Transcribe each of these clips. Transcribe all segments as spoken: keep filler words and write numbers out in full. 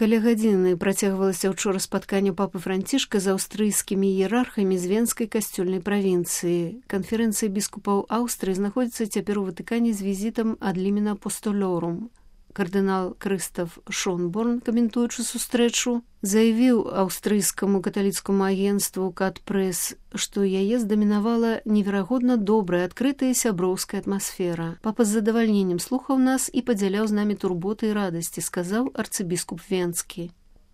Каля гадзіны працягвалася ўчора спатканне папы Францішка з аўстрыйскімі іерархамі з Венскай касцёльнай правінцыі. Канферэнцыя біскупаў Аўстрыі знаходзіцца цяпер у Ватыкане з візітам ад Лімена Апостолорум. Кардынал Крыстаф Шонборн, каментуючы сустрэчу, заявіў аўстрыйскаму каталіцкаму агенцтву «Кат-Прэс», што яе здамінавала неверагодна добрая, адкрытая сяброўская атмасфера. Папа з задавальненнем слухаў нас і падзяляў з намі турботы і радасці, сказаў арцыбіскуп Венскі.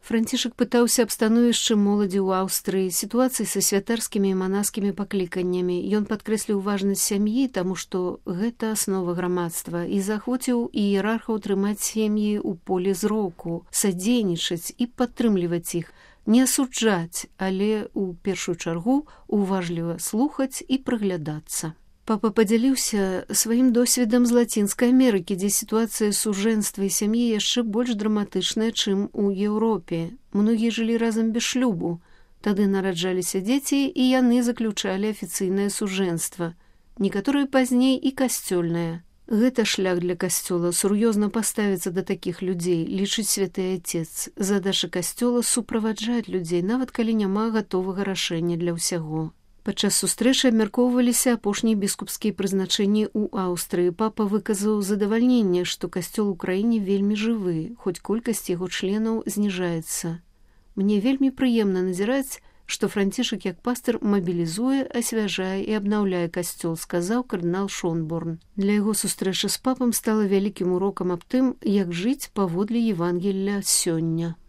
Францішак пытаўся аб становішчы моладзі ў Аўстрыі, сітуацыі са святарскімі і манаскімі пакліканнямі. Ён падкрэсліў важнасць сям'і, таму што гэта аснова грамадства, і заахвоціў іерархаў трымаць сем'і ў поле зроку, садзейнічаць і падтрымліваць іх, не асуджаць, але ў першую чаргу уважліва слухаць і прыглядацца. Папа падзяліўся сваім досведам з Лацінскай Амерыкі, дзе сітуацыя сужэнства і сям'і яшчэ больш драматычная, чым у Еўропе. Многія жылі разам без шлюбу. Тады нараджаліся дзеці, і яны заключалі афіцыйнае сужэнства. Некаторыя пазней і касцёльнае. Гэта шлях для касцёла, сур'ёзна паставіцца да такіх людзей, лічыць святы Отец. Задача касцёла суправаджаць людзей, нават калі няма гатовага рашэння для ўсяго. Падчас сустрэчы абмяркоўваліся апошнія біскупскія прызначэнні ў Аўстрыі. Папа выказаў задавальненне, што касцёл у краіне вельмі жывы, хоць колькасць яго членаў зніжаецца. Мне вельмі прыемна назіраць, што Францішак як пастыр мабілізуе, асвяжае і абнаўляе касцёл, сказаў кардынал Шонборн. Для яго сустрэча з папам стала вялікім урокам аб тым, як жыць паводле Евангелля сёння.